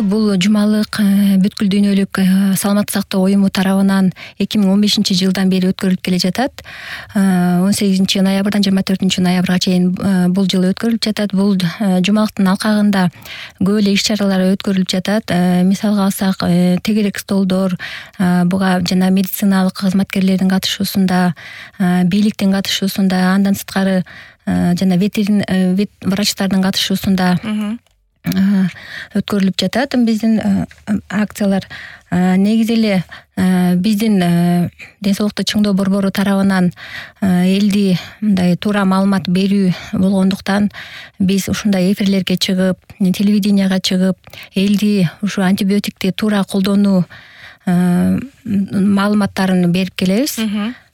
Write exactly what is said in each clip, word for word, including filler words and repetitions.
негизи бул жумалык бүткүл дүйнөлүк саламаттык сактоо уюму тарабынан эки миң он бешинчи жылдан бери өткөрүлүп келе жатат. он сегизинчи ноябрдан жыйырма төртүнчү ноябрга чейин бул жыл өткөрүлүп жатат. Бул жумалыктын алкагында көп эле иш чаралар өткөрүлүп жатат. Мисалга алсак, тегерек столдор, буга жана медициналык кызматкерлердин катышуусунда, бийликтин катышуусунда, андан сырткары жана ветерин вет врачтардын катышуусунда өткөрүлүп жатат биздин акциялар. Негизи эле биздин ден соолукту чыңдоо борбору тарабынан элди мындай туура маалымат берүү болгондуктан биз ушундай эфирлерге чыгып, телевиденияга чыгып, элди ушу антибиотикти туура колдонуу маалыматтарын берип келебиз.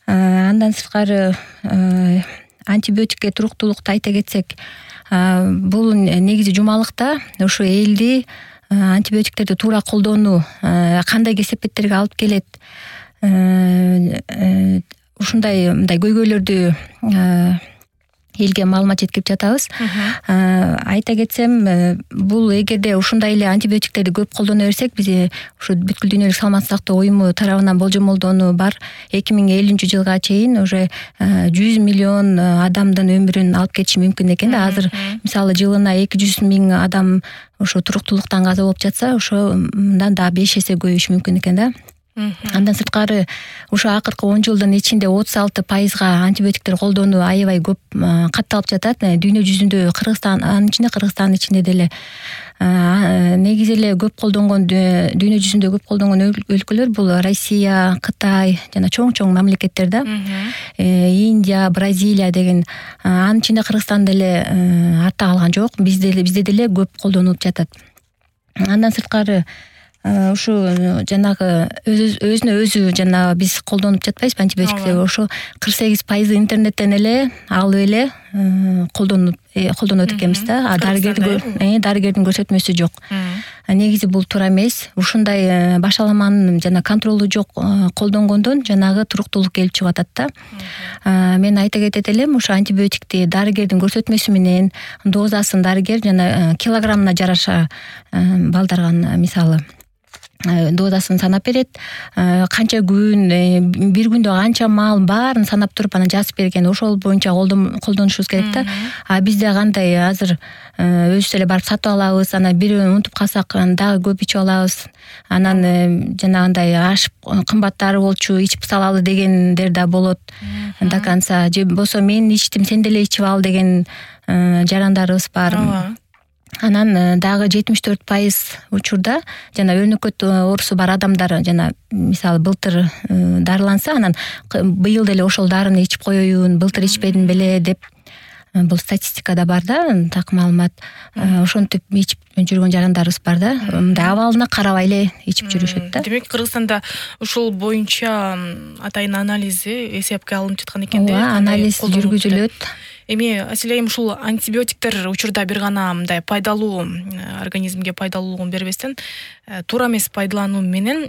Андан сырткары антибиотикке туруктуулукту айта кетсек, бул негизи жумалыкта ушу элди антибиотиктерди туура колдонуу кандай кесепеттерге алып келет, ушундай мындай көйгөйлөрдү элге маалымат жеткирип жатабыз. Айта кетсем, бул эгерде ушундай эле антибиотиктерди көп колдоно берсек, биз ушу бүткүл дүйнөлүк саламаттык сактоо уюму тарабынан болжомолдонуу бар, эки миң элүүнчү жылга чейин уже жүз миллион адамдын өмүрүн алып кетиши мүмкүн экен да. Азыр мисалы жылына эки жүз миң адам ошо туруктуулуктан каза болуп жатса, ошо мындан да беш эсе көбөйүшү мүмкүн экен да. Андан сырткары ушу акыркы он жылдын ичинде отуз алты пайызга антибиотиктер колдонуу аябай көп катталып жатат. Дүйнө жүзүндө Кыргызстан, анын ичинде Кыргызстандын ичинде деле негизи эле көп колдонгон, дүйнө жүзүндө көп колдонгон өлкөлөр бул Россия, Кытай жана чоң-чоң мамлекеттер да. Индия, Бразилия деген. Анын ичинде Кыргызстан деле артта калган жок. Бизде бизде деле көп колдонулуп жатат. Андан сырткары ушу жанагы өзүнө өзү жана биз колдонуп жатпайбызбы антибиотикти, ошо кырк сегиз пайызы интернеттен эле алып эле колдонуп колдонот экенбиз да. Дарыгердин дарыгердин көрсөтмөсү жок. Негизи бул туура эмес. Ушундай башаламанын жана контролу жок колдонгондон жанагы туруктуулук келип чыгып атат да. Мен айта кетет элем, ушу антибиотикти дарыгердин көрсөтмөсү менен дозасын дарыгер жана килограммына жараша балдарган мисалы дозасын санап берет. Канча күн, бир күндө канча маал баарын санап туруп анан жазып берген. Ошол боюнча колдонушубуз керек да. А бизде кандай азыр өзүбүз эле барып сатып алабыз, анан бирөөнү унутуп калсак дагы көп ичип алабыз. Анан жанагындай ашып кымбаттары болчу, ичип салалы дегендер да болот до конца. Же болсо мен ичтим, сен деле ичип ал деген жарандарыбыз бар. Анан дагы жетимиш төрт пайыз учурда жана өрнөкөт оорусу бар адамдар жана мисалы былтыр дарыланса, анан быйыл деле ошол дарыны ичип коеюн, былтыр ичпедим беле деп бул статистикада бар да, так маалымат. Ошентип ичип жүргөн жарандарыбыз бар да. Мындай абалына карабай эле ичип жүрүшөт да. Демек, Кыргызстанда ушул боюнча атайын анализи эсепке алынып жаткан экен да. Ооба, анализ жүргүзүлөт. Эми Асилайым, ушул антибиотиктер учурда бир гана мындай пайдалуу, организмге пайдалуулугун бербестен туура эмес пайдалануу менен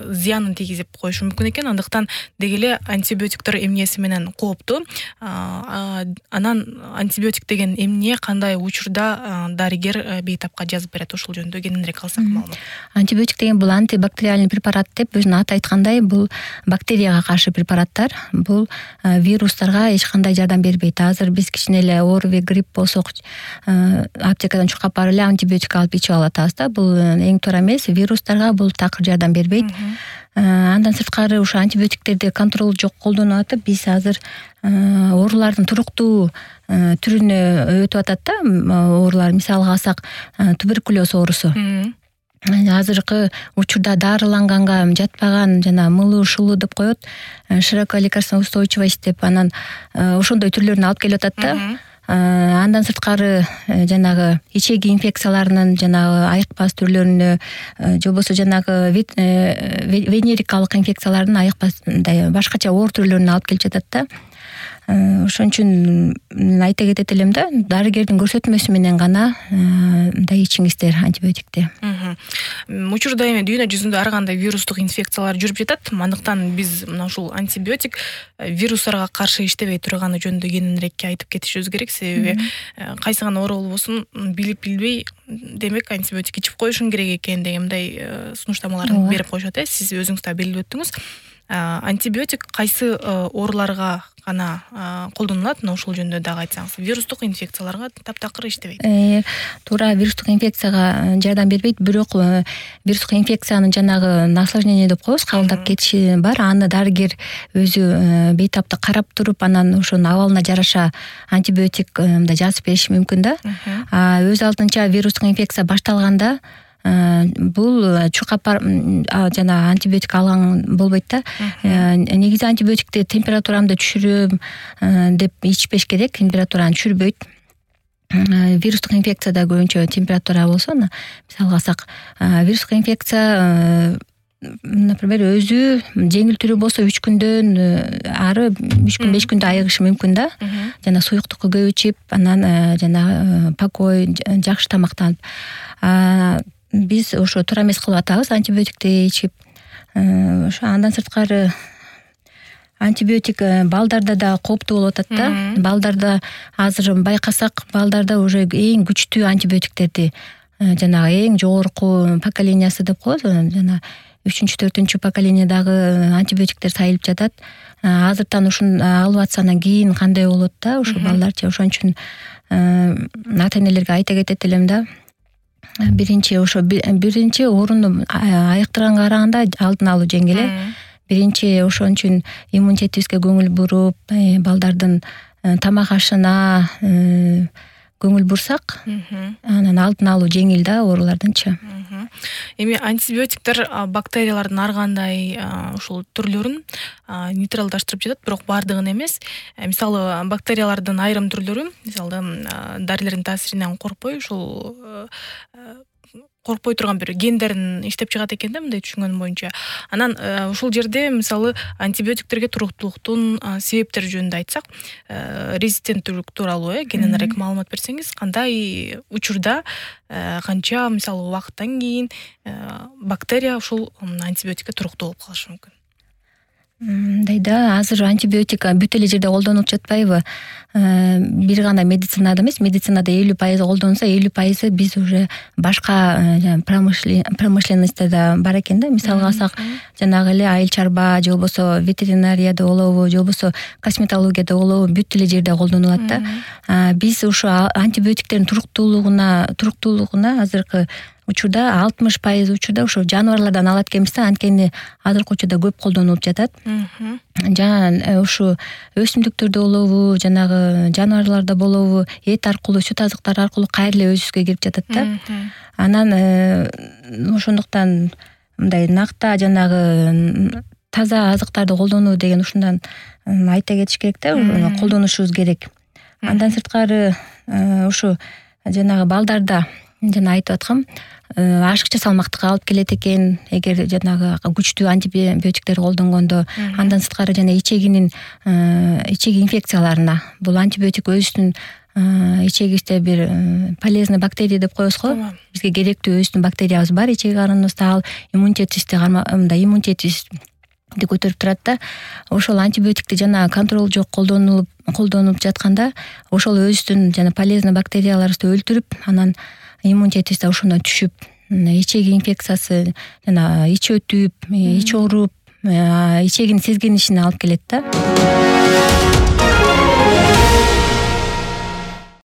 зыянын тийгизип коюшу мүмкүн экен. Андыктан деги эле антибиотиктер эмнеси менен кооптуу? Анан антибиотик деген эмне, кандай учурда дарыгер бейтапка жазып берет? Ошол жөнүндө кененирээк алсак маалымат. Антибиотик деген бул антибактериальный препарат деп өзүнүн аты айткандай, бул бактерияга каршы препараттар. Бул вирустарга эч кандай жардам бербейт. Азыр биз кичине эле ОРВИ, грипп болсок, аптекадан чуркап барып эле антибиотик алып ичип алып атабыз да. Бул эң туура эмес. Вирустарга бул такыр жардам бербейт. Андан сырткары ушу антибиотиктерди контрол жок колдонуп атып, биз азыр оорулардын туруктуу түрүнө өтүп атат да. Оорулар мисалга алсак, туберкулез оорусу. Азыркы учурда дарыланганга жатпаган жана мылуу шулуу деп коет, широкая лекарственная устойчивость деп, анан ошондой түрлөрүн алып келип атат да. Андан сырткары жанагы ичеги инфекцияларынын жанагы айыкпас түрлөрүнө, же болбосо жанагы венерикалык инфекциялардын айыкпас башкача оор түрлөрүнө алып келип жатат да. Ошон үчүн айта кетет элем да, дарыгердин көрсөтмөсү менен гана мындай ичиңиздер антибиотикти. Учурда эми дүйнө жүзүндө ар кандай вирустук инфекциялар жүрүп жатат. Андыктан биз мына ушул антибиотик вирустарга каршы иштебей турганы жөнүндө кененирээк айтып кетишибиз керек. Себеби кайсы гана оору болбосун билип билбей демек антибиотик ичип коюшуң керек экен деген мындай сунуштамаларды берип коюшат э. Сиз өзүңүз да белгилеп өттүңүз. Антибиотик кайсы ооруларга гана колдонулат? Мына ушул жөнүндө дагы айтсаңыз. Вирустук инфекцияларга таптакыр иштебейт. Э, туура вирустук инфекцияга жардам бербейт, бирок вирустук инфекциянын жанагы осложнение деп коебуз, кабылдап кетиши бар. Аны дарыгер өзү бейтаптык карап туруп, анан ошонун абалына жараша антибиотик мындай жазып бериши мүмкүн да. А өз алдынча вирустук инфекция башталганда бул чукапар жана антибиотик алган болбойт да. Негизи антибиотикти температурамды түшүрөм деп ичпеш керек, температураны түшүрбөйт. Вирустук инфекцияда көбүнчө температура болсо, мисалга алсак, вирустук инфекция например өзү жеңил түрү болсо үч күндөн ары үч күн беш күндө айыгышы мүмкүн да. Жана суюктукку көп ичип, анан жана покой, жакшы тамактанып. Биз ошо туура эмес кылып атабыз антибиотикти ичип. Ошо андан сырткары антибиотик балдарда да кооптуу болуп атат да. Балдарда азыр байкасак, балдарда уже эң күчтүү антибиотиктерди, жанагы эң жогорку поколениясы деп коебуз, жана үчүнчү, төртүнчү поколениядагы антибиотиктер сайылып жатат. Азыртан ушун алып атса анан кийин кандай болот да, ошо балдарчы. Ошон үчүн ата энелерге айта кетет элем да. Биринчи ошо биринчи орунду айыктырганга караганда алдын алуу жеңил э. Биринчи ошон үчүн иммунитетибизге көңүл буруп, балдардын тамак ашына көңүл бурсак, анан алдын алуу жеңил да оорулардынчы. Эми антибиотиктер бактериялардын ар кандай ушул түрлөрүн нейтралдаштырып жатат, бирок бардыгын эмес. Мисалы бактериялардын айрым түрлөрү, мисалы дарылердин таасиринен коркпой, ушул коркпой турган бир гендерин иштеп чыгат экен да, мындай түшүнгөнүм боюнча. Анан ушул жерде мисалы антибиотиктерге туруктуулуктун себептери жөнүндө айтсак, резистенттүүлүк тууралуу э кененирээк маалымат берсеңиз, кандай учурда, канча мисалы убакыттан кийин бактерия ушул антибиотикке туруктуу болуп калышы мүмкүн? Мындай да, азыр антибиотика бүт эле жерде колдонулуп жатпайбы? Бир гана медицинада эмес, медицинада элүү пайыз колдонулса, элүү пайызы биз уже башка промышленностьта да бар экен да. Мисалга алсак, жанагы эле айыл чарба, же болбосо ветеринарияда болобу, же болбосо косметологияда болобу, бүт эле жерде колдонулат да. Биз ушу антибиотиктердин туруктуулугуна, туруктуулугуна азыркы учурда алтымыш пайыз учурда ошо жаныбарлардан алат экенбиз да, анткени азыркы учурда көп колдонулуп жатат. Жана ушу өсүмдүктөрдө болобу, жанагы жаныбарларда болобу, эт аркылуу, сүт азыктар аркылуу кайра эле өзүбүзгө кирип жатат да. Анан ошондуктан мындай накта жанагы таза азыктарды колдонуу деген ушундан айта кетиш керек да, колдонушубуз керек. Андан сырткары ушу жанагы балдарда жана айтып аткам, ашыкча салмактыкка алып келет экен, эгер жанагы күчтүү антибиотиктер колдонгондо. Андан сырткары жана ичегинин ичеги инфекцияларына бул антибиотик өзүнүн ичегибизде бир полезный бактерия деп коебуз го. Бизге керектүү өзүнүн бактериябыз бар ичеги карыныбызда, ал иммунитетибизди мындай иммунитетибизди көтөрүп турат да. Ошол антибиотикти жана контрол жок колдонулуп колдонуп жатканда, ошол өзүнүн жана полезный бактерияларыбызды өлтүрүп, анан иммунитетибиз да ошондон түшүп, ичеги инфекциясы жана ич өтүп, ич ооруп, ичегин сезгенишине алып келет да.